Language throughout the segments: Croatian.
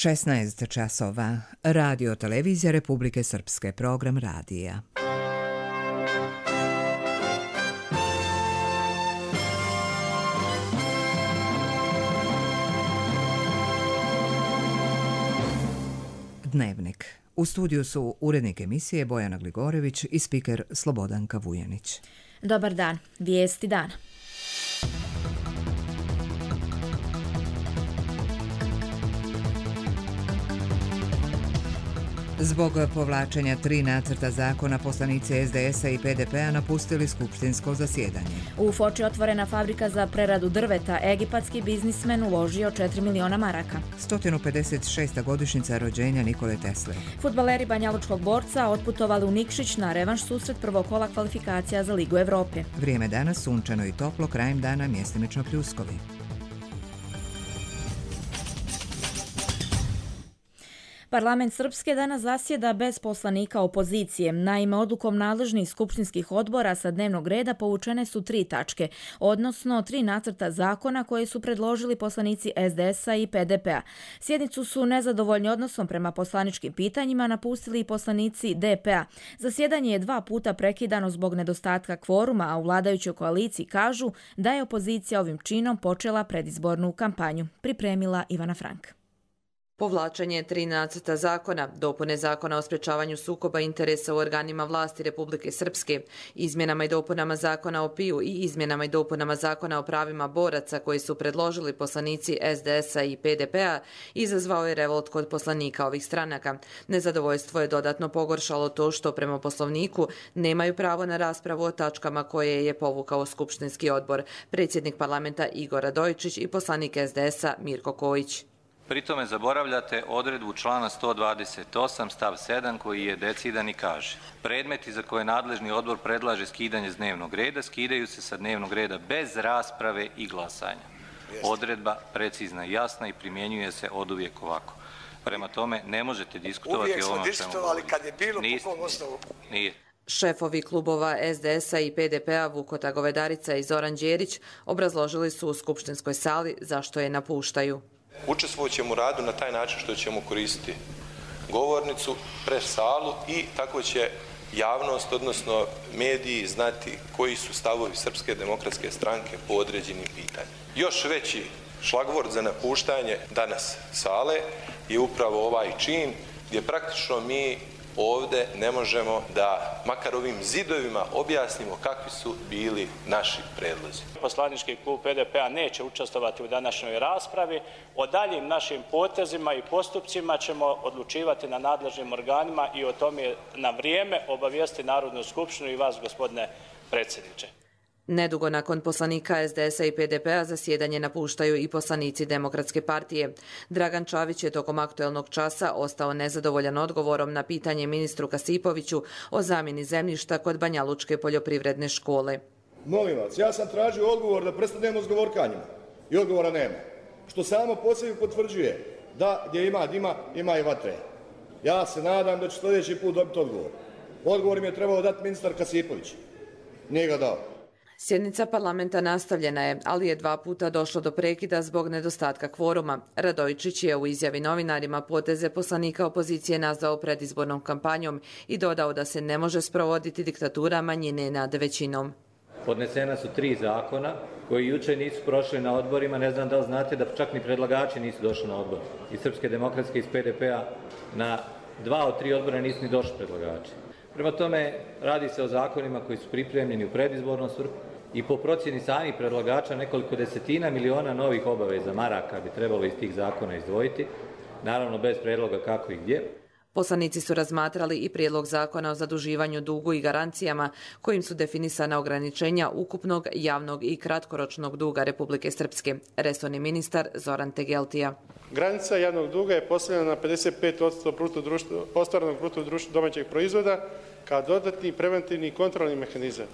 16 časova. Radio televizija Republike Srpske, program radija. Dnevnik. U studiju su urednik emisije Bojana Gligorević i spiker Slobodanka Vujanić. Dobar dan. Vijesti dana. Zbog povlačenja 3 nacrta zakona poslanici SDS-a i PDP-a napustili skupštinsko zasjedanje. U Foči otvorena fabrika za preradu drveta. Egipatski biznismen uložio 4 miliona maraka. 156. godišnjica rođenja Nikole Tesle. Fudbaleri Banjalučkog Borca otputovali u Nikšić na revanš susret prvog kola kvalifikacija za Ligu Evrope. Vrijeme danas sunčano i toplo, krajem dana mjestimično pljuskovi. Parlament Srpske danas zasjeda bez poslanika opozicije. Naime, odlukom nadležnih skupštinskih odbora sa dnevnog reda povučene su 3 tačke, odnosno 3 nacrta zakona koje su predložili poslanici SDS-a i PDP-a. Sjednicu su nezadovoljni odnosom prema poslaničkim pitanjima napustili i poslanici DP-a. Zasjedanje je 2 puta prekidano zbog nedostatka kvoruma, a u vladajućoj koaliciji kažu da je opozicija ovim činom počela predizbornu kampanju. Pripremila Ivana Frank. Povlačenje 3 nacrta zakona, dopune zakona o sprečavanju sukoba interesa u organima vlasti Republike Srpske, izmjenama i dopunama zakona o PIU i izmjenama i dopunama zakona o pravima boraca koji su predložili poslanici SDS-a i PDP-a, izazvao je revolt kod poslanika ovih stranaka. Nezadovoljstvo je dodatno pogoršalo to što prema poslovniku nemaju pravo na raspravu o tačkama koje je povukao skupštinski odbor, predsjednik parlamenta Igor Radojičić i poslanik SDS-a Mirko Kojić. Pritome zaboravljate odredbu člana 128 stav 7 koji je decidan i kaže: predmeti za koje nadležni odbor predlaže skidanje s dnevnog reda skidaju se sa dnevnog reda bez rasprave i glasanja. Odredba precizna i jasna i primjenjuje se oduvijek ovako. Prema tome ne možete diskutovati o ovom čemu. Uvijek smo diskutovali kad je bilo po kom osnovu. Nije. Šefovi klubova SDS-a i PDP-a Vukota Govedarica i Zoran Đerić obrazložili su u skupštinskoj sali zašto je napuštaju. Učestvovat ćemo u radu na taj način što ćemo koristiti govornicu, pres salu i tako će javnost, odnosno mediji, znati koji su stavovi Srpske demokratske stranke po određenim pitanjima. Još veći šlagvort za napuštanje danas sale je upravo ovaj čin gdje praktično mi ovdje ne možemo da makar ovim zidovima objasnimo kakvi su bili naši predlozi. Poslanički klub PDP-a neće učestvovati u današnjoj raspravi. O daljim našim potezima i postupcima ćemo odlučivati na nadležnim organima i o tome na vrijeme obavijesti Narodnu skupštinu i vas, gospodine predsjedniče. Nedugo nakon poslanika SDS-a i PDP-a zasjedanje napuštaju i poslanici Demokratske partije. Dragan Čavić je tokom aktuelnog časa ostao nezadovoljan odgovorom na pitanje ministru Kasipoviću o zamjeni zemljišta kod Banjalučke poljoprivredne škole. Molim vas, ja sam tražio odgovor da prestanemo s govorkanjima i odgovora nema. Što samo po sebi potvrđuje da gdje ima dima, ima i vatre. Ja se nadam da ću sljedeći put dobiti odgovor. Odgovor mi je trebao dati ministar Kasipović. Nije ga dao. Sjednica parlamenta nastavljena je, ali je 2 puta došlo do prekida zbog nedostatka kvoruma. Radojičić je u izjavi novinarima poteze poslanika opozicije nazvao predizbornom kampanjom i dodao da se ne može sprovoditi diktatura manjine nad većinom. Podnesena su 3 zakona koji jučer nisu prošli na odborima. Ne znam da li znate da čak ni predlagači nisu došli na odbor. Iz Srpske demokratske, iz PDP-a na 2 od 3 odbora nisu ni došli predlagači. Prema tome, radi se o zakonima koji su pripremljeni u predizbornom svrhu i po procjeni samih predlagača nekoliko desetina miliona novih obaveza maraka bi trebalo iz tih zakona izdvojiti, naravno bez predloga kako i gdje. Poslanici su razmatrali i prijedlog zakona o zaduživanju dugu i garancijama kojim su definisana ograničenja ukupnog javnog i kratkoročnog duga Republike Srpske. Resorni ministar Zoran Tegeltija. Granica javnog duga je postavljena na 55% ostvarenog bruto domaćeg proizvoda kao dodatni preventivni kontrolni mehanizam.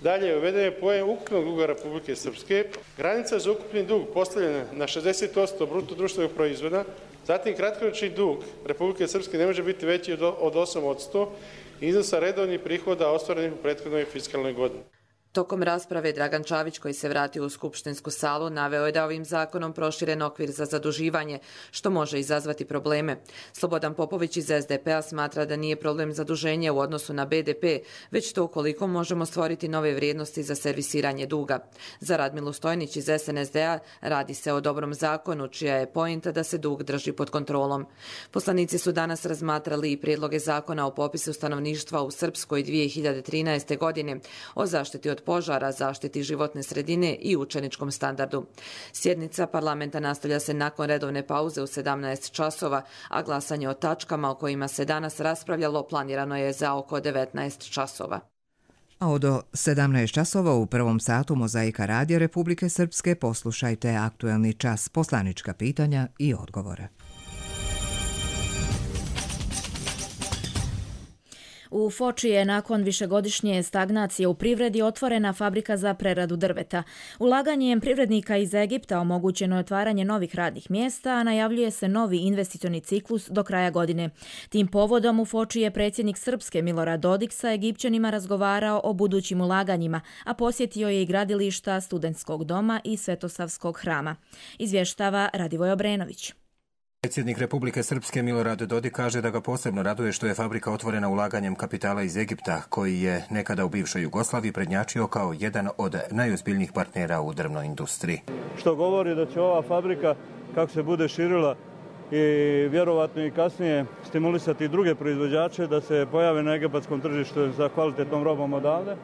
Dalje, uveden je pojam ukupnog duga Republike Srpske. Granica za ukupni dug postavljena na 60% bruto društvenog proizvoda. Zatim, kratkoročni dug Republike Srpske ne može biti veći od 8% iznosa redovnih prihoda ostvarenih u prethodnoj fiskalnoj godini. Tokom rasprave Dragan Čavić, koji se vratio u skupštinsku salu, naveo je da ovim zakonom proširen okvir za zaduživanje, što može izazvati probleme. Slobodan Popović iz SDP-a smatra da nije problem zaduženje u odnosu na BDP, već to ukoliko možemo stvoriti nove vrijednosti za servisiranje duga. Za Radmilu Stojnić iz SNSD-a radi se o dobrom zakonu, čija je pointa da se dug drži pod kontrolom. Poslanici su danas razmatrali i prijedloge zakona o popisu stanovništva u Srpskoj 2013. godine, o zaštiti od požara, zaštiti životne sredine i učeničkom standardu. Sjednica parlamenta nastavlja se nakon redovne pauze u 17 časova, a glasanje o tačkama o kojima se danas raspravljalo planirano je za oko 19 časova. A od 17 časova u prvom satu Mozaika radija Republike Srpske poslušajte aktuelni čas, poslanička pitanja i odgovore. U Foči je nakon višegodišnje stagnacije u privredi otvorena fabrika za preradu drveta. Ulaganjem privrednika iz Egipta omogućeno je otvaranje novih radnih mjesta, a najavljuje se novi investicioni ciklus do kraja godine. Tim povodom u Foči je predsjednik Srpske Milorad Dodik sa Egipćanima razgovarao o budućim ulaganjima, a posjetio je i gradilišta Studentskog doma i Svetosavskog hrama. Izvještava Radivoj Obrenović. Predsjednik Republike Srpske Milorad Dodik kaže da ga posebno raduje što je fabrika otvorena ulaganjem kapitala iz Egipta, koji je nekada u bivšoj Jugoslaviji prednjačio kao jedan od najozbiljnijih partnera u drvnoj industriji. Što govori da će ova fabrika, kako se bude širila i vjerovatno i kasnije stimulisati druge proizvođače da se pojave na egipatskom tržištu za kvalitetnom robom odavde.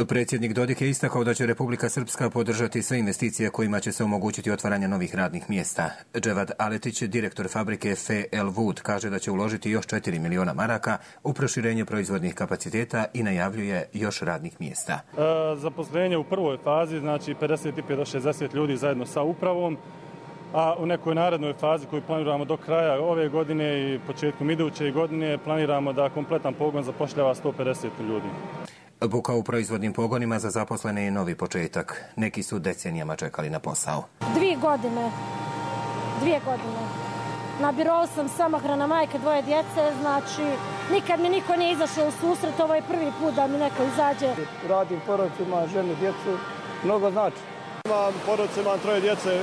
Predsjednik Dodik je istakao da će Republika Srpska podržati sve investicije kojima će se omogućiti otvaranje novih radnih mjesta. Dževad Aletić, direktor fabrike FL Wood, kaže da će uložiti još 4 miliona maraka u proširenje proizvodnih kapaciteta i najavljuje još radnih mjesta. Zaposlenje u prvoj fazi, znači 55 do 60 ljudi zajedno sa upravom, a u nekoj narednoj fazi koju planiramo do kraja ove godine i početkom iduće godine planiramo da kompletan pogon zapošljava 150 ljudi. Buka u proizvodnim pogonima za zaposlene je novi početak. Neki su decenijama čekali na posao. 2 godine. Na birou sam samohrana majka, 2 djece, znači nikad mi niko nije izašao u susret, ovo je prvi put da mi neko izađe. Radim porodcima, ženu, djecu, mnogo znači. Imam porodcima, 3 djece,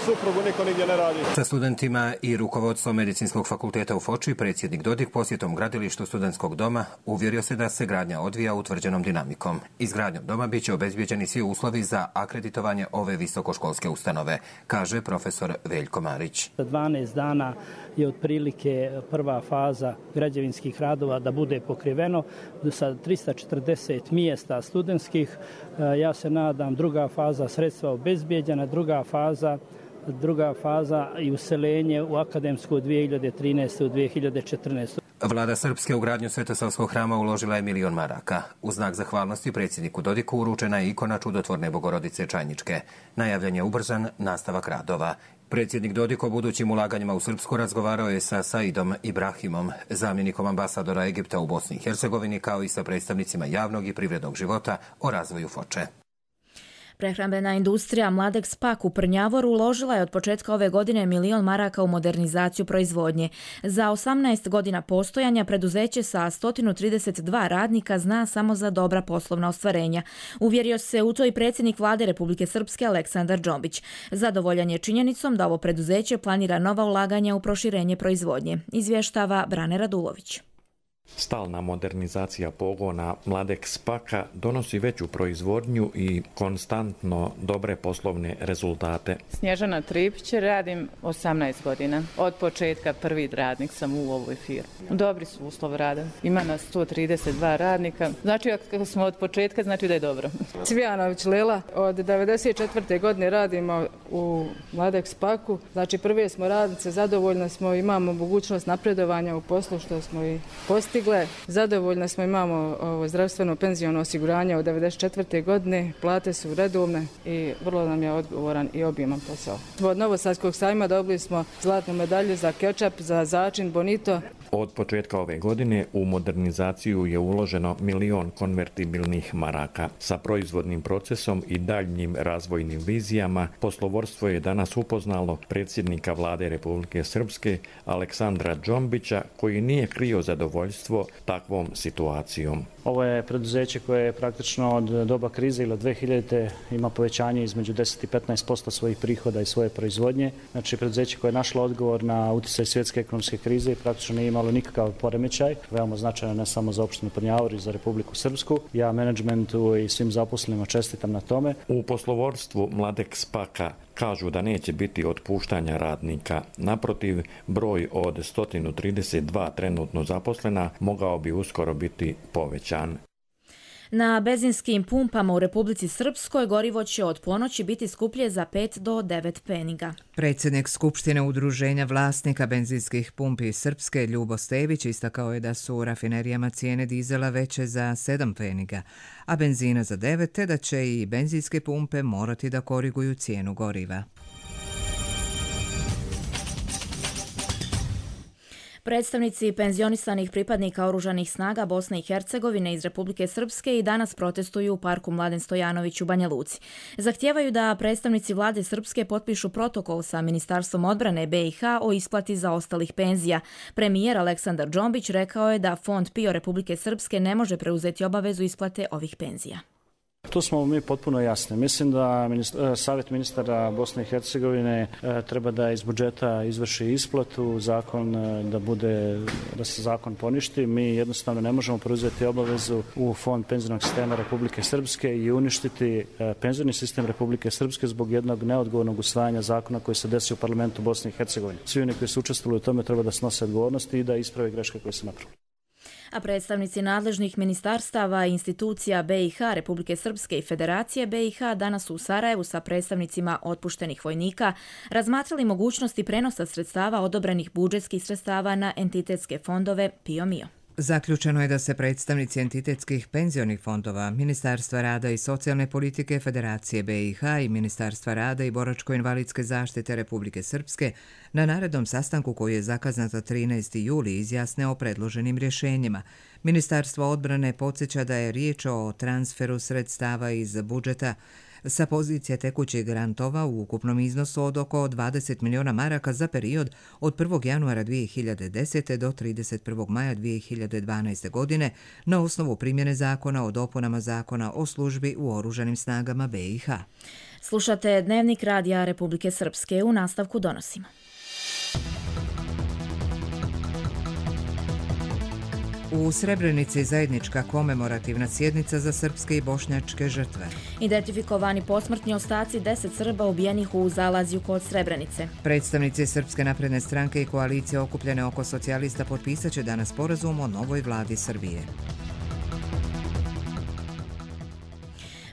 suprugu niko nigdje ne radi. Sa studentima i rukovodstvom Medicinskog fakulteta u Foči predsjednik Dodik posjetom gradilištu Studentskog doma uvjerio se da se gradnja odvija utvrđenom dinamikom. Izgradnjom doma biće obezbijeđeni svi uslovi za akreditovanje ove visokoškolske ustanove, kaže profesor Veljko Marić. 12 dana je otprilike prva faza građevinskih radova da bude pokriveno sa 340 mjesta studentskih. Ja se nadam druga faza sredstva obezbijeđena, druga faza i useljenje u akademsku 2013. u 2014. Vlada Srpske u gradnju Svetosavskog hrama uložila je 1 milion maraka. U znak zahvalnosti predsjedniku Dodiku uručena je ikona čudotvorne Bogorodice Čajničke. Najavljen je ubrzan nastavak radova. Predsjednik Dodik o budućim ulaganjima u Srpsku razgovarao je sa Saidom Ibrahimom, zamjenikom ambasadora Egipta u Bosni i Hercegovini, kao i sa predstavnicima javnog i privrednog života o razvoju Foče. Prehrambena industrija Mladeks Pak u Prnjavoru uložila je od početka ove godine 1 milion maraka u modernizaciju proizvodnje. Za 18 godina postojanja preduzeće sa 132 radnika zna samo za dobra poslovna ostvarenja. Uvjerio se u to i predsjednik Vlade Republike Srpske Aleksandar Džombić. Zadovoljan je činjenicom da ovo preduzeće planira nova ulaganja u proširenje proizvodnje, izvještava Brane Radulović. Stalna modernizacija pogona Mladeks Paka donosi veću proizvodnju i konstantno dobre poslovne rezultate. Snježana Tripić, radim 18 godina. Od početka prvi radnik sam u ovoj firmi. Dobri su uslovi rada. Ima nas 132 radnika. Znači, ako smo od početka, znači da je dobro. Cvijanović Lela, od 94. godine radimo u Mladeks Paku. Znači, prve smo radnice, zadovoljne smo, imamo mogućnost napredovanja u poslu što smo i postigli. Zadovoljno smo, imamo zdravstveno penziono osiguranje od 94. godine, plate su redovne i vrlo nam je odgovoran i obiman posao. Od Novosadskog sajma dobili smo zlatnu medalju za kečap, za začin, bonito. Od početka ove godine u modernizaciju je uloženo 1 milion konvertibilnih maraka. Sa proizvodnim procesom i daljnjim razvojnim vizijama poslovodstvo je danas upoznalo predsjednika Vlade Republike Srpske Aleksandra Džombića, koji nije krio zadovoljstvo takvom situacijom. Ovo je preduzeće koje je praktično od doba krize ili od 2000. ima povećanje između 10 i 15% svojih prihoda i svoje proizvodnje. Znači preduzeće koje je našlo odgovor na utjecaj svjetske ekonomske krize i praktično nije imalo nikakav poremećaj. Veoma značajno ne samo za opštinu Prnjavor i za Republiku Srpsku. Ja menadžmentu i svim zaposlenima čestitam na tome. U poslovodstvu Mladek Spaka kažu da neće biti otpuštanja radnika. Naprotiv, broj od 132 trenutno zaposlena mogao bi uskoro biti povećan. Na benzinskim pumpama u Republici Srpskoj gorivo će od ponoći biti skuplje za 5 do 9 peniga. Predsjednik Skupštine udruženja vlasnika benzinskih pumpi Srpske Ljubo Stević istakao je da su u rafinerijama cijene dizela veće za 7 peniga, a benzina za 9, te da će i benzinske pumpe morati da koriguju cijenu goriva. Predstavnici penzionisanih pripadnika oružanih snaga Bosne i Hercegovine iz Republike Srpske i danas protestuju u parku Mladen Stojanović u Banja Luci. Zahtijevaju da predstavnici vlade Srpske potpišu protokol sa Ministarstvom odbrane BiH o isplati zaostalih penzija. Premijer Aleksandar Džombić rekao je da Fond PIO Republike Srpske ne može preuzeti obavezu isplate ovih penzija. Tu smo mi potpuno jasni. Mislim da Savjet ministara Bosne i Hercegovine treba da iz budžeta izvrši isplatu, da se zakon poništi. Mi jednostavno ne možemo preuzeti obavezu u Fond penzionog sistema Republike Srpske i uništiti penzioni sistem Republike Srpske zbog jednog neodgovornog usvajanja zakona koji se desio u parlamentu Bosne i Hercegovine. Svi oni koji su učestvovali u tome treba da snose odgovornosti i da isprave greške koje se napravili. A predstavnici nadležnih ministarstava i institucija BiH, Republike Srpske i Federacije BiH danas u Sarajevu sa predstavnicima otpuštenih vojnika razmatrali mogućnosti prenosa sredstava odobrenih budžetskih sredstava na entitetske fondove PIO-MIO. Zaključeno je da se predstavnici entitetskih penzionih fondova, Ministarstva rada i socijalne politike Federacije BiH i Ministarstva rada i boračko-invalidske zaštite Republike Srpske na narednom sastanku koji je zakazan za 13. juli izjasne o predloženim rješenjima. Ministarstvo odbrane podsjeća da je riječ o transferu sredstava iz budžeta sa pozicije tekućih grantova u ukupnom iznosu od oko 20 miliona maraka za period od 1. januara 2010. do 31. maja 2012. godine na osnovu primjene zakona o dopunama zakona o službi u oružanim snagama BiH. Slušate Dnevnik radija Republike Srpske, u nastavku donosimo. U Srebrenici zajednička komemorativna sjednica za srpske i bošnjačke žrtve. Identifikovani posmrtni ostaci 10 Srba ubijenih u Zalazju kod Srebrenice. Predstavnici Srpske napredne stranke i koalicije okupljene oko socijalista potpisat će danas sporazum o novoj vladi Srbije.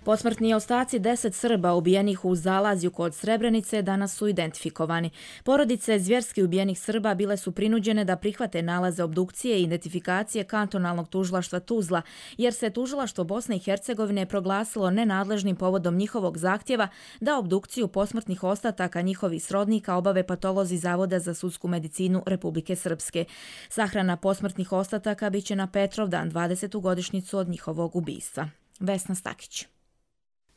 Posmrtni ostaci 10 Srba ubijenih u Zalazju kod Srebrenice danas su identifikovani. Porodice zvjerski ubijenih Srba bile su prinuđene da prihvate nalaze obdukcije i identifikacije kantonalnog tužilaštva Tuzla, jer se tužilaštvo Bosne i Hercegovine proglasilo nenadležnim povodom njihovog zahtjeva da obdukciju posmrtnih ostataka njihovih srodnika obave patolozi Zavoda za sudsku medicinu Republike Srpske. Sahrana posmrtnih ostataka biće na Petrovdan, 20. godišnjicu od njihovog ubistva. Vesna Stakić.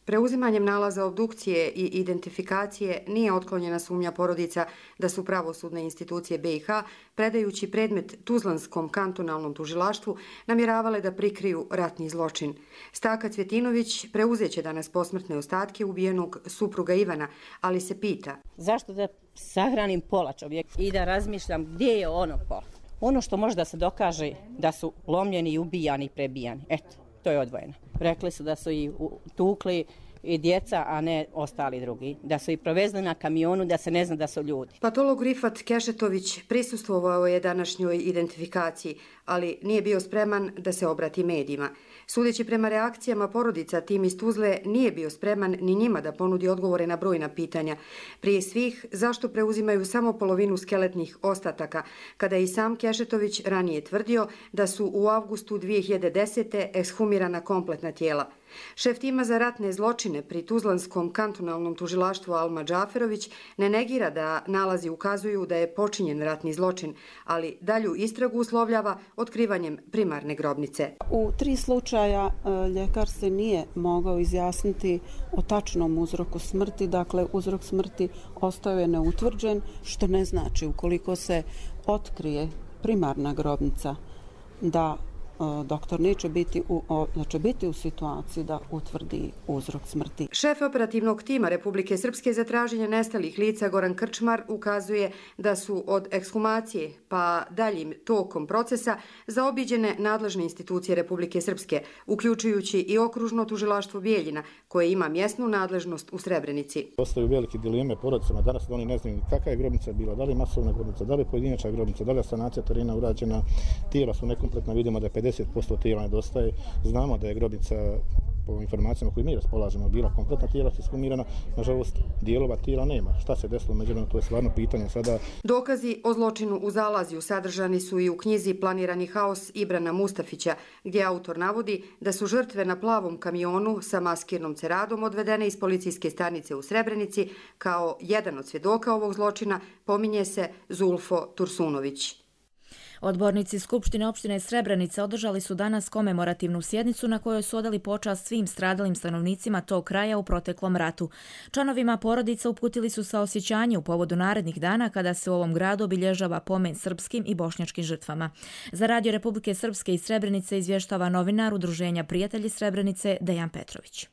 Preuzimanjem nalaza obdukcije i identifikacije nije otklonjena sumnja porodica da su pravosudne institucije BiH, predajući predmet Tuzlanskom kantonalnom tužilaštvu, namjeravale da prikriju ratni zločin. Staka Cvjetinović preuzeće danas posmrtne ostatke ubijenog supruga Ivana, ali se pita: zašto da sahranim pola čovjeka i da razmišljam gdje je ono pola? Ono što može da se dokaže da su lomljeni i ubijani i prebijani. Eto, to je odvojeno. Rekli su da su i tukli i djeca, a ne ostali drugi. Da su i provezli na kamionu, da se ne zna da su ljudi. Patolog Rifat Kešetović prisustvovao je današnjoj identifikaciji, ali nije bio spreman da se obrati medijima. Sudeći prema reakcijama porodica, tim iz Tuzle nije bio spreman ni njima da ponudi odgovore na brojna pitanja. Prije svih, zašto preuzimaju samo polovinu skeletnih ostataka, kada je i sam Kešetović ranije tvrdio da su u avgustu 2010. ekshumirana kompletna tijela. Šef tima za ratne zločine pri Tuzlanskom kantonalnom tužilaštvu Alma Džaferović ne negira da nalazi ukazuju da je počinjen ratni zločin, ali dalju istragu uslovljava otkrivanjem primarne grobnice. U 3 slučaja ljekar se nije mogao izjasniti o tačnom uzroku smrti, dakle uzrok smrti ostao je neutvrđen, što ne znači ukoliko se otkrije primarna grobnica da doktor neće biti u situaciji da utvrdi uzrok smrti. Šef operativnog tima Republike Srpske za traženje nestalih lica Goran Krčmar ukazuje da su od ekshumacije pa daljim tokom procesa zaobiđene nadležne institucije Republike Srpske, uključujući i okružno tužilaštvo Bijeljina, koje ima mjesnu nadležnost u Srebrenici. Ostaju velike dileme porodicama danas da oni ne znaju kakva je grobnica bila, da li masovna grobnica, da li pojedinačna grobnica, da li je sanacija terena urađena, tijela su nekompletna, vidimo da 50% tijela nedostaje. Znamo da je grobnica, po informacijama koje mi raspolažemo, bila kompletna, tijela su ekshumirana. Nažalost, dijelova tijela nema. Šta se desilo međuvremenu, to je stvarno pitanje sada. Dokazi o zločinu u Zalazju sadržani su i u knjizi Planirani haos Ibrana Mustafića, gdje autor navodi da su žrtve na plavom kamionu sa maskirnom ceradom odvedene iz policijske stanice u Srebrenici. Kao jedan od svjedoka ovog zločina pominje se Zulfo Tursunović. Odbornici Skupštine opštine Srebrenica održali su danas komemorativnu sjednicu na kojoj su odali počast svim stradalim stanovnicima tog kraja u proteklom ratu. Članovima porodica uputili su saosjećanje u povodu narednih dana kada se u ovom gradu obilježava pomen srpskim i bošnjačkim žrtvama. Za Radio Republike Srpske iz Srebrenice izvještava novinar Udruženja Prijatelji Srebrenice Dejan Petrović.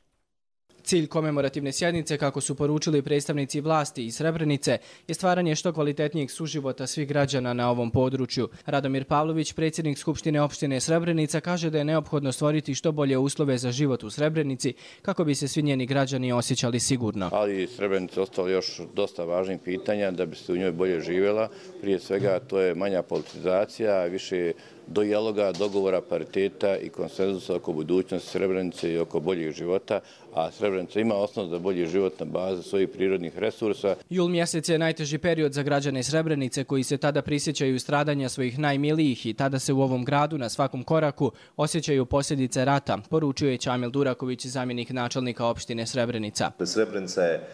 Cilj komemorativne sjednice, kako su poručili predstavnici vlasti iz Srebrenice, je stvaranje što kvalitetnijeg suživota svih građana na ovom području. Radomir Pavlović, predsjednik Skupštine opštine Srebrenica, kaže da je neophodno stvoriti što bolje uslove za život u Srebrenici kako bi se svi njeni građani osjećali sigurno. Ali Srebrenica ostalo još dosta važnih pitanja da bi se u njoj bolje živjela. Prije svega to je manja politizacija, više dijaloga, dogovora, pariteta i konsenzusa oko budućnosti Srebrenice i oko boljeg života, a Srebrenica ima osnov za bolji život na bazi svojih prirodnih resursa. Jul mjesec je najteži period za građane Srebrenice koji se tada prisjećaju stradanja svojih najmilijih i tada se u ovom gradu na svakom koraku osjećaju posljedice rata, poručio je Čamil Duraković, zamjenik načelnika opštine Srebrenica. Srebrenica je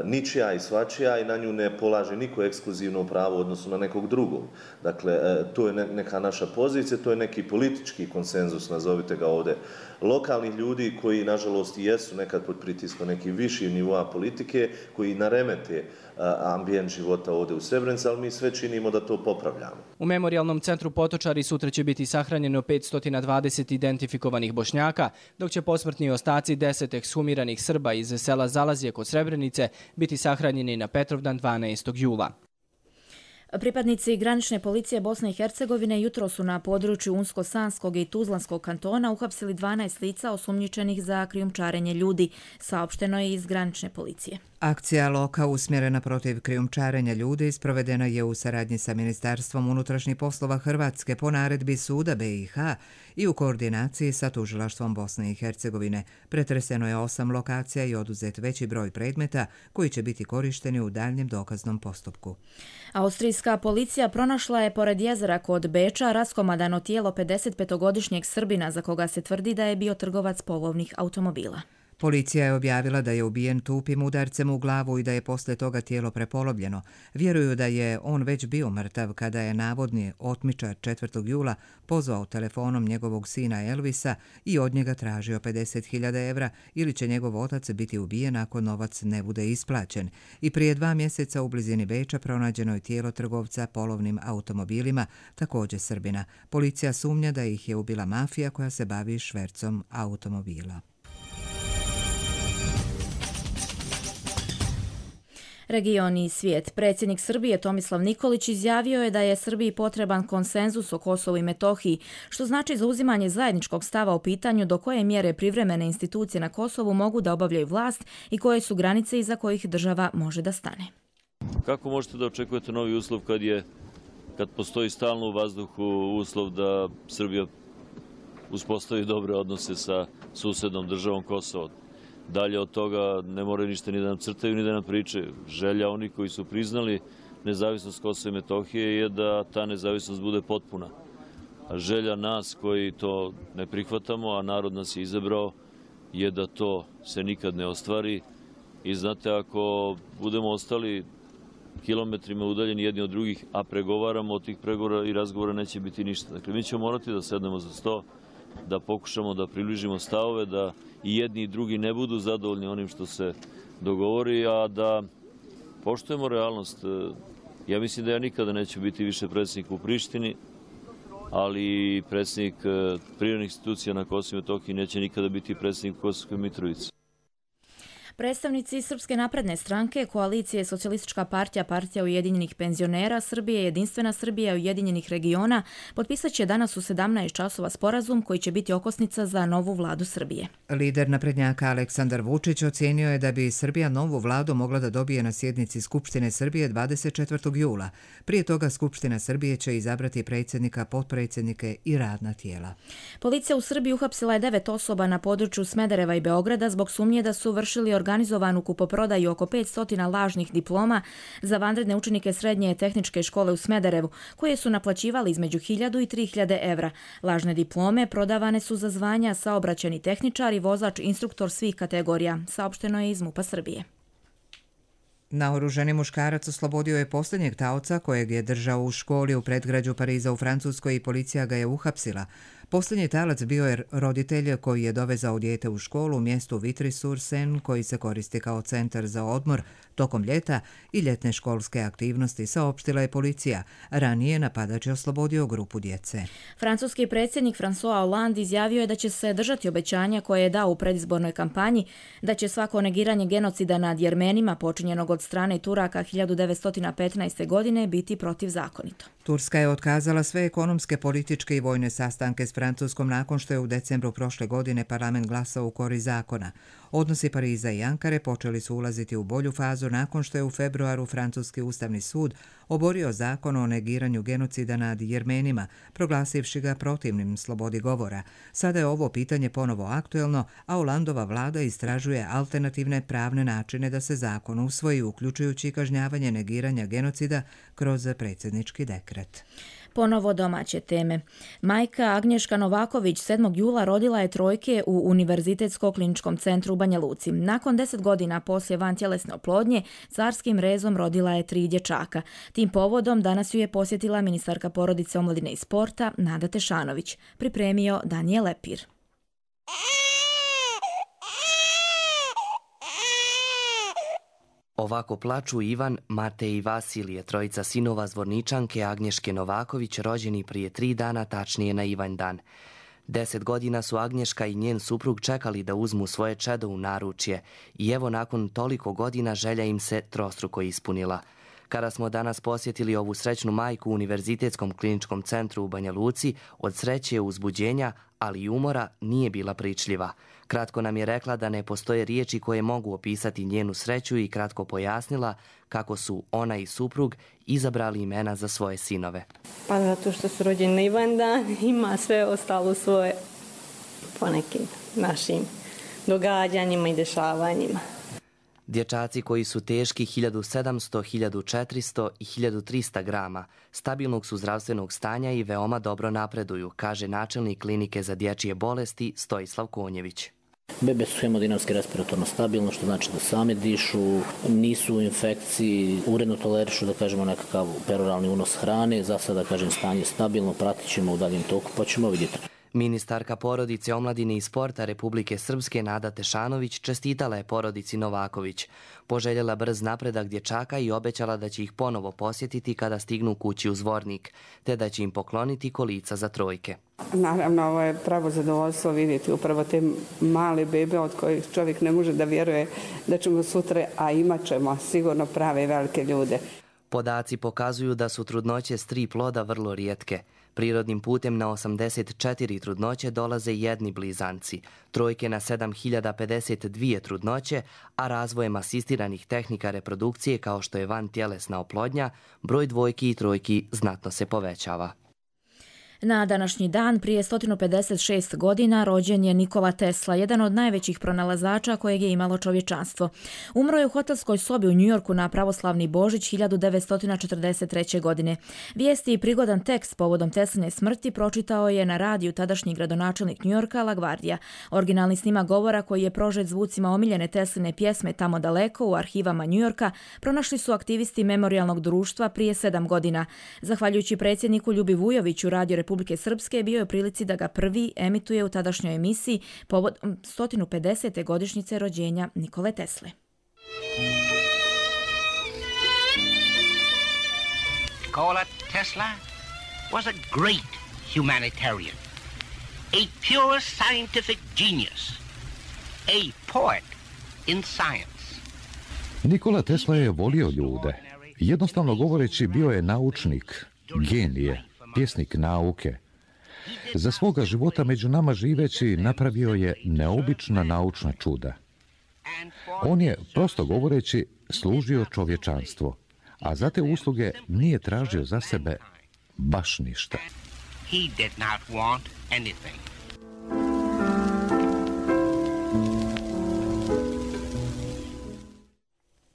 ničija i svačija i na nju ne polaže niko ekskluzivno pravo u odnosu na nekog drugog. Dakle, to je neka naša pozicija, to je neki politički konsenzus, nazovite ga ovdje, lokalnih ljudi koji, nažalost, jesu nekad pod pritiskom nekih viših nivoa politike, koji naremete ambijent života ovdje u Srebrenici, ali mi sve činimo da to popravljamo. U Memorijalnom centru Potočari sutra će biti sahranjeno 520 identifikovanih Bošnjaka, dok će posmrtni ostaci 10 ekshumiranih Srba iz sela Zalazje kod Srebrenice biti sahranjeni na Petrovdan 12. jula. Pripadnici granične policije Bosne i Hercegovine jutro su na području Unsko-Sanskog i Tuzlanskog kantona uhapsili 12 lica osumnjičenih za krijumčarenje ljudi, saopšteno je iz granične policije. Akcija Loka usmjerena protiv krijumčarenja ljudi sprovedena je u saradnji sa Ministarstvom unutrašnjih poslova Hrvatske po naredbi Suda BiH i u koordinaciji sa Tužilaštvom Bosne i Hercegovine. Pretreseno je 8 lokacija i oduzet veći broj predmeta koji će biti korišteni u daljnjem dokaznom postupku. Austrijska policija pronašla je pored jezera kod Beča raskomadano tijelo 55-godišnjeg Srbina za koga se tvrdi da je bio trgovac polovnih automobila. Policija je objavila da je ubijen tupim udarcem u glavu i da je poslije toga tijelo prepolovljeno. Vjeruju da je on već bio mrtav kada je navodni otmičar 4. jula pozvao telefonom njegovog sina Elvisa i od njega tražio 50.000 evra ili će njegov otac biti ubijen ako novac ne bude isplaćen. I prije 2 mjeseca u blizini Beča pronađeno je tijelo trgovca polovnim automobilima, također Srbina. Policija sumnja da ih je ubila mafija koja se bavi švercom automobila. Region i svijet. Predsjednik Srbije Tomislav Nikolić izjavio je da je Srbiji potreban konsenzus o Kosovu i Metohiji, što znači zauzimanje zajedničkog stava o pitanju do koje mjere privremene institucije na Kosovu mogu da obavljaju vlast i koje su granice iza kojih država može da stane. Kako možete da očekujete novi uslov kad postoji stalno u vazduhu uslov da Srbija uspostavi dobre odnose sa susednom državom Kosovo? Dalje od toga ne moraju ništa ni da nam crtaju ni da nam pričaju. Želja onih koji su priznali nezavisnost Kosova i Metohije je da ta nezavisnost bude potpuna. A želja nas koji to ne prihvatamo, a narod nas je izabrao, je da to se nikad ne ostvari. I znate, ako budemo ostali kilometrima udaljeni jedni od drugih, a pregovaramo, od tih pregovora i razgovora neće biti ništa. Dakle, mi ćemo morati da sednemo za sto, da pokušamo da približimo stavove, da i jedni i drugi ne budu zadovoljni onim što se dogovori, a da poštujemo realnost. Ja mislim da ja nikada neću biti više predsjednik u Prištini, ali predsjednik privremenih institucija na Kosovu i Metohiji neće nikada biti predsjednik Kosovske Mitrovice. Predstavnici Srpske napredne stranke, koalicije Socijalistička partija, Partija ujedinjenih penzionera Srbije, Jedinstvena Srbija ujedinjenih regiona potpisat će danas u 17 časova sporazum koji će biti okosnica za novu vladu Srbije. Lider naprednjaka Aleksandar Vučić ocijenio je da bi Srbija novu vladu mogla da dobije na sjednici Skupštine Srbije 24. jula. Prije toga Skupština Srbije će izabrati predsjednika, potpredsjednike i radna tijela. Policija u Srbiji uhapsila je 9 osoba na području Smedereva i Beograda zbog sumnje da su vršili organizovanu kupoprodaju oko 500 lažnih diploma za vanredne učenike srednje tehničke škole u Smederevu, koje su naplaćivali između 1000 i 3000 evra. Lažne diplome prodavane su za zvanja saobraćajni tehničar i vozač instruktor svih kategorija, saopšteno je iz MUP-a Srbije. Naoružani muškarac oslobodio je posljednjeg taoca kojeg je držao u školi u predgrađu Pariza u Francuskoj i policija ga je uhapsila. Posljednji talac bio je roditelj koji je dovezao dijete u školu u mjestu Vitry-sur-Seine koji se koristi kao centar za odmor tokom ljeta i ljetne školske aktivnosti, saopštila je policija. Ranije napadač je oslobodio grupu djece. Francuski predsjednik François Hollande izjavio je da će se držati obećanja koje je dao u predizbornoj kampanji, da će svako negiranje genocida nad Jermenima počinjenog od strane Turaka 1915. godine biti protivzakonito. Turska je otkazala sve ekonomske, političke i vojne sastanke s Francuskom nakon što je u decembru prošle godine parlament glasao u korist zakona. Odnosi Pariza i Ankare počeli su ulaziti u bolju fazu nakon što je u februaru Francuski ustavni sud oborio zakon o negiranju genocida nad Jermenima, proglasivši ga protivnim slobodi govora. Sada je ovo pitanje ponovo aktuelno, a Hollandova vlada istražuje alternativne pravne načine da se zakon usvoji, uključujući kažnjavanje negiranja genocida kroz predsjednički dekret. Ponovo domaće teme. Majka Agnješka Novaković 7. jula rodila je trojke u Univerzitetsko-kliničkom centru u Banja Luci. Nakon 10 godina poslije vantjelesne oplodnje, carskim rezom rodila je 3 dječaka. Tim povodom danas ju je posjetila ministarka porodice, omladine i sporta Nada Tešanović. Pripremio Danijel Lepir. Ovako plaču Ivan, Matej i Vasilije, trojica sinova Zvorničanke Agnješke Novaković, rođeni prije 3 dana, tačnije na Ivanjdan. 10 godina su Agnješka i njen suprug čekali da uzmu svoje čedo u naručje i evo nakon toliko godina želja im se trostruko ispunila. Kada smo danas posjetili ovu srećnu majku u Univerzitetskom kliničkom centru u Banja Luci, od sreće, uzbuđenja, ali i umora nije bila pričljiva. Kratko nam je rekla da ne postoje riječi koje mogu opisati njenu sreću i kratko pojasnila kako su ona i suprug izabrali imena za svoje sinove. Pa zato što su rođeni na Ivanjdan, ima sve ostalo svoje po nekim našim događanjima i dešavanjima. Dječaci koji su teški 1700, 1400 i 1300 grama, stabilnog su zdravstvenog stanja i veoma dobro napreduju, kaže načelnik klinike za dječje bolesti Stojislav Konjević. Bebe su hemodinamski respiratorno stabilno, što znači da same dišu, nisu u infekciji, uredno tolerišu, da kažemo, nekakav peroralni unos hrane. Za sada, kažem, stanje stabilno, pratit ćemo u daljem toku, pa ćemo vidjeti. Ministarka porodice, omladine i sporta Republike Srpske Nada Tešanović čestitala je porodici Novaković. Poželjela brz napredak dječaka i obećala da će ih ponovo posjetiti kada stignu kući u Zvornik, te da će im pokloniti kolica za trojke. Naravno, ovo je pravo zadovoljstvo vidjeti upravo te male bebe od kojih čovjek ne može da vjeruje da ćemo sutra, a imat ćemo sigurno prave velike ljude. Podaci pokazuju da su trudnoće s 3 ploda vrlo rijetke. Prirodnim putem na 84 trudnoće dolaze jedni blizanci, trojke na 7052 trudnoće, a razvojem asistiranih tehnika reprodukcije kao što je vantjelesna oplodnja, broj dvojki i trojki znatno se povećava. Na današnji dan, prije 156 godina, rođen je Nikola Tesla, jedan od najvećih pronalazača kojeg je imalo čovječanstvo. Umro je u hotelskoj sobi u Njujorku na pravoslavni Božić 1943. godine. Vijesti i prigodan tekst povodom Tesline smrti pročitao je na radiju tadašnji gradonačelnik Njujorka LaGuardia. Originalni snimak govora koji je prožet zvucima omiljene Tesline pjesme Tamo daleko u arhivama Njujorka pronašli su aktivisti Memorijalnog društva prije 7 godina. Zahvaljujući predsjedniku Ljubi Vujoviću, Radio Republike Srpske bio je u prilici da ga prvi emituje u tadašnjoj emisiji povodom 150. godišnjice rođenja Nikole Tesle. Nikola Tesla was a great humanitarian, a pure scientific genius, a poet in science. Nikola Tesla je volio ljude. Jednostavno govoreći, bio je naučnik, genije, pjesnik nauke. Za svoga života među nama živeći napravio je neobična naučna čuda. On je, prosto govoreći, služio čovječanstvo, a za te usluge nije tražio za sebe baš ništa. He did not want anything.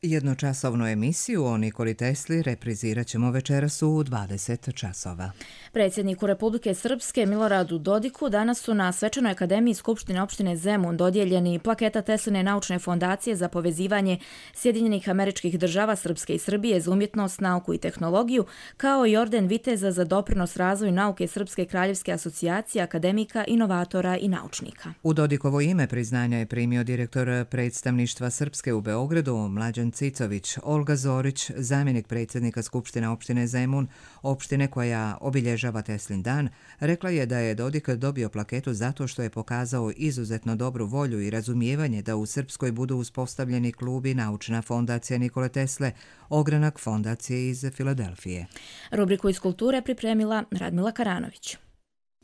Jednočasovnu emisiju o Nikoli Tesli reprizirat ćemo večeras u 20 časova. Predsjedniku Republike Srpske Miloradu Dodiku danas su na Svečanoj akademiji Skupštine opštine Zemun dodijeljeni plaketa Tesline naučne fondacije za povezivanje Sjedinjenih Američkih Država, Srpske i Srbije za umjetnost, nauku i tehnologiju, kao i orden viteza za doprinos razvoju nauke Srpske kraljevske asocijacije akademika, inovatora i naučnika. U Dodikovo ime priznanja je primio direktor predstavništva Srpske u Beogradu, Mlađan Cicović. Olga Zorić, zamjenik predsjednika Skupštine opštine Zemun, opštine koja obilježava Teslin dan, rekla je da je Dodik dobio plaketu zato što je pokazao izuzetno dobru volju i razumijevanje da u Srpskoj budu uspostavljeni klub i naučna fondacija Nikole Tesle, ogranak fondacije iz Filadelfije. Rubriku iz kulture pripremila Radmila Karanović.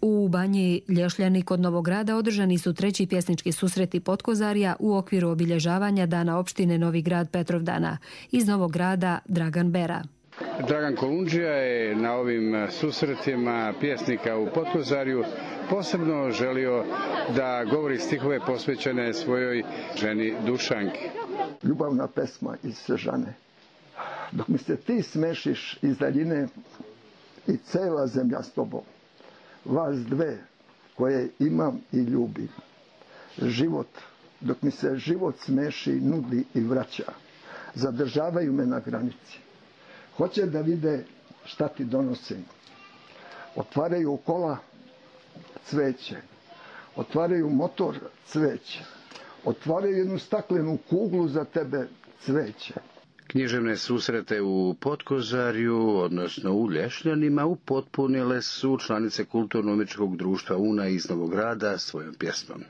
U Banji Lješljani kod Novog Grada održani su treći pjesnički susreti Potkozarja u okviru obilježavanja Dana opštine Novi Grad Petrovdana. Iz Novog Grada Dragan Bera. Dragan Kolundžija je na ovim susretima pjesnika u Potkozarju posebno želio da govori stihove posvećene svojoj ženi Dušanki. Ljubavna pesma iz Sežane. Dok mi se ti smešiš iz daljine i cela zemlja s tobom. Vas dve koje imam i ljubim. Život, dok mi se život smeši, nudi i vraća. Zadržavaju me na granici. Hoće da vide šta ti donosim. Otvaraju kola, cveće. Otvaraju motor, cveće. Otvaraju jednu staklenu kuglu za tebe, cveće. Književne susrete u Potkozarju, odnosno u Lješnjanima, upotpunile su članice Kulturno-umjetničkog društva Una iz Novog Grada svojom pjesmom.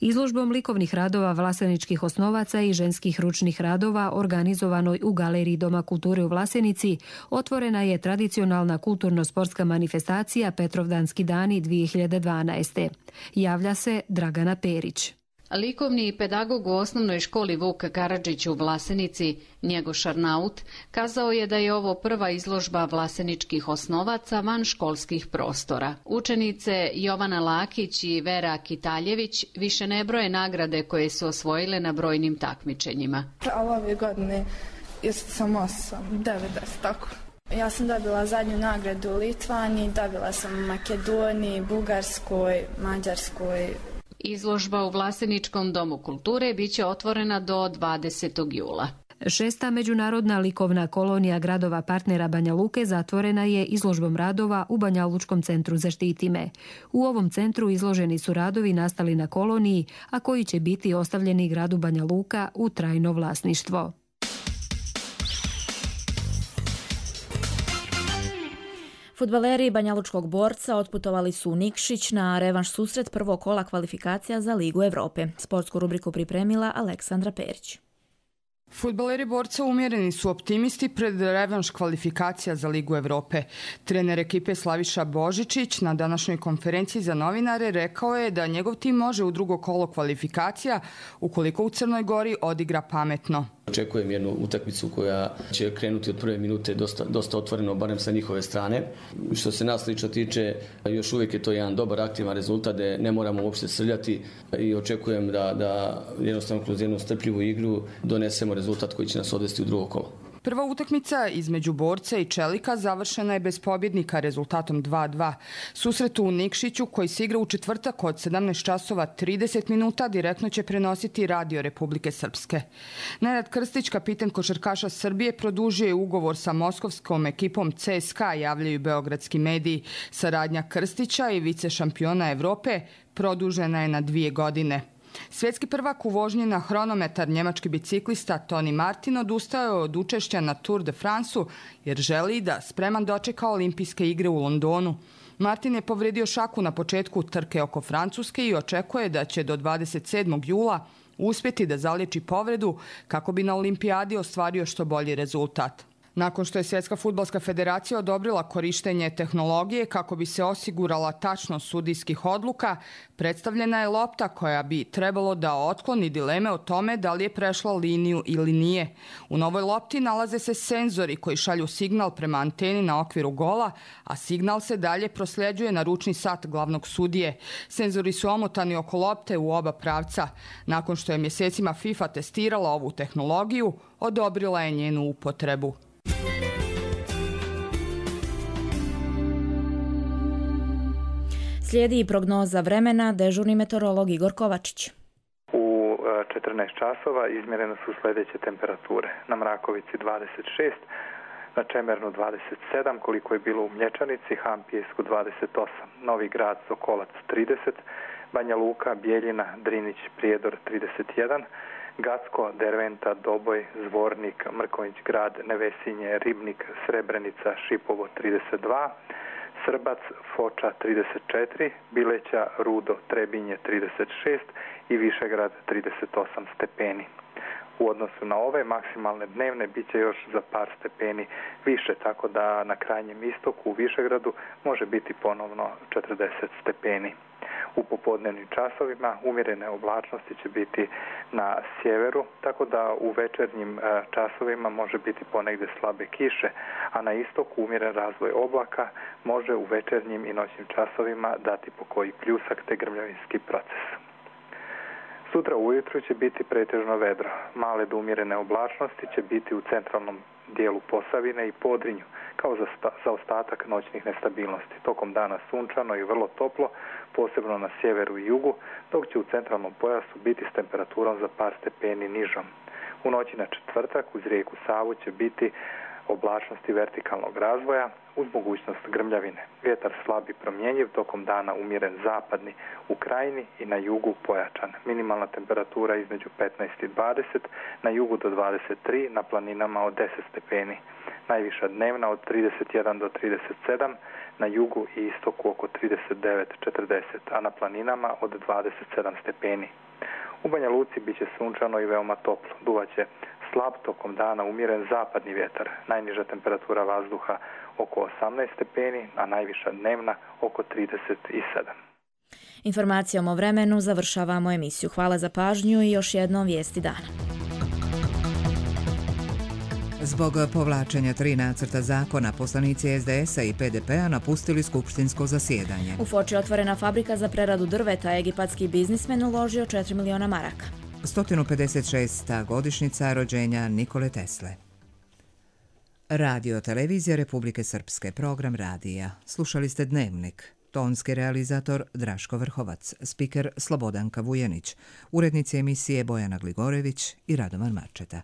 Izložbom likovnih radova Vlaseničkih osnovaca i ženskih ručnih radova organizovanoj u Galeriji Doma kulture u Vlasenici otvorena je tradicionalna kulturno-sportska manifestacija Petrovdanski dani 2012. Javlja se Dragana Perić. Likovni pedagog u osnovnoj školi Vuk Karadžić u Vlasenici, Njegoš Arnaut, kazao je da je ovo prva izložba vlaseničkih osnovaca van školskih prostora. Učenice Jovana Lakić i Vera Kitaljević više ne broje nagrade koje su osvojile na brojnim takmičenjima. Ove godine sam 8, 9, tako. Ja sam dobila zadnju nagradu u Litvani, dobila sam u Makedoniji, Bugarskoj, Mađarskoj. Izložba u Vlaseničkom domu kulture biće otvorena do 20. jula. 6. međunarodna likovna kolonija gradova partnera Banja Luke zatvorena je izložbom radova u Banja Lučkom centru Zaštitime. U ovom centru izloženi su radovi nastali na koloniji, a koji će biti ostavljeni gradu Banja Luka u trajno vlasništvo. Fudbaleri Banjalučkog Borca otputovali su u Nikšić na revanš susret prvog kola kvalifikacija za Ligu Evrope. Sportsku rubriku pripremila Aleksandra Perić. Fudbaleri Borca umjereni su optimisti pred revanš kvalifikacija za Ligu Evrope. Trener ekipe Slaviša Božičić na današnjoj konferenciji za novinare rekao je da njegov tim može u drugo kolo kvalifikacija ukoliko u Crnoj Gori odigra pametno. Očekujem jednu utakmicu koja će krenuti od prve minute dosta otvoreno, barem sa njihove strane. Što se nas lično tiče, još uvijek je to jedan dobar aktivan rezultat, da ne moramo uopšte srljati i očekujem da jednostavno kroz jednu strpljivu igru donesemo rezultat koji će nas odvesti u drugo kolo. Prva utakmica između Borca i Čelika završena je bez pobjednika rezultatom 2:2. Susret u Nikšiću koji se igra u četvrtak od 17 časova 30 minuta direktno će prenositi Radio Republike Srpske. Nenad Krstić, kapiten košarkaša Srbije, produžio je ugovor sa moskovskom ekipom CSKA, javljaju beogradski mediji. Saradnja Krstića i vice šampiona Evrope produžena je na 2 godine. Svjetski prvak u vožnji na hronometar njemački biciklista Toni Martin odustao je od učešća na Tour de France-u jer želi da spreman dočeka olimpijske igre u Londonu. Martin je povredio šaku na početku trke oko Francuske i očekuje da će do 27. jula uspjeti da zaliječi povredu kako bi na olimpijadi ostvario što bolji rezultat. Nakon što je Svjetska fudbalska federacija odobrila korištenje tehnologije kako bi se osigurala tačnost sudijskih odluka, predstavljena je lopta koja bi trebalo da otkloni dileme o tome da li je prešla liniju ili nije. U novoj lopti nalaze se senzori koji šalju signal prema anteni na okviru gola, a signal se dalje prosljeđuje na ručni sat glavnog sudije. Senzori su omotani oko lopte u oba pravca. Nakon što je mjesecima FIFA testirala ovu tehnologiju, odobrila je njenu upotrebu. Slijedi i prognoza vremena, dežurni meteorolog Igor Kovačić. U 14 časova izmjerene su sljedeće temperature. Na Mrakovici 26, na Čemernu 27, koliko je bilo u Mlječanici, Hampijesku 28, Novi Grad, Sokolac 30, Banja Luka, Bijeljina, Drinić, Prijedor 31, Gacko, Derventa, Doboj, Zvornik, Mrkonjić Grad, Nevesinje, Ribnik, Srebrenica, Šipovo 32, Srbac, Foča 34, Bileća, Rudo, Trebinje 36 i Višegrad 38 stepeni. U odnosu na ove maksimalne dnevne bit će još za par stepeni više, tako da na krajnjem istoku u Višegradu može biti ponovno 40 stepeni. U popodnevnim časovima umjerene oblačnosti će biti na sjeveru, tako da u večernjim časovima može biti ponegdje slabe kiše, a na istoku umjeren razvoj oblaka može u večernjim i noćnim časovima dati po koji pljusak te grmljavinski proces. Sutra ujutru će biti pretežno vedro. Male do umjerene oblačnosti će biti u centralnom dijelu Posavine i Podrinju, kao za ostatak noćnih nestabilnosti. Tokom dana sunčano i vrlo toplo, posebno na sjeveru i jugu, dok će u centralnom pojasu biti s temperaturom za par stepeni nižom. U noći na četvrtak uz rijeku Savu će biti oblačnosti vertikalnog razvoja uz mogućnost grmljavine. Vjetar slab i promjenjiv, tokom dana umjeren zapadni u krajini i na jugu pojačan. Minimalna temperatura između 15 i 20, na jugu do 23, na planinama od 10 stepeni. Najviša dnevna od 31 do 37, na jugu i istoku oko 39-40, a na planinama od 27 stepeni. U Banja Luci bit će sunčano i veoma toplo. Duvaće slab, tokom dana umjeren zapadni vjetar. Najniža temperatura vazduha oko 18 stepeni, a najviša dnevna oko 37. Informacijom o vremenu završavamo emisiju. Hvala za pažnju i još jednom vijesti dana. Zbog povlačenja 3 nacrta zakona, poslanici SDS-a i PDP-a napustili skupštinsko zasjedanje. U Foči otvorena fabrika za preradu drveta, egipatski biznismen uložio 4 miliona maraka. 156. godišnjica rođenja Nikole Tesle. Radio televizija Republike Srpske, program radija. Slušali ste Dnevnik. Tonski realizator Draško Vrhovac, spiker Slobodanka Vujanić, urednici emisije Bojana Gligorević i Radovan Marčeta.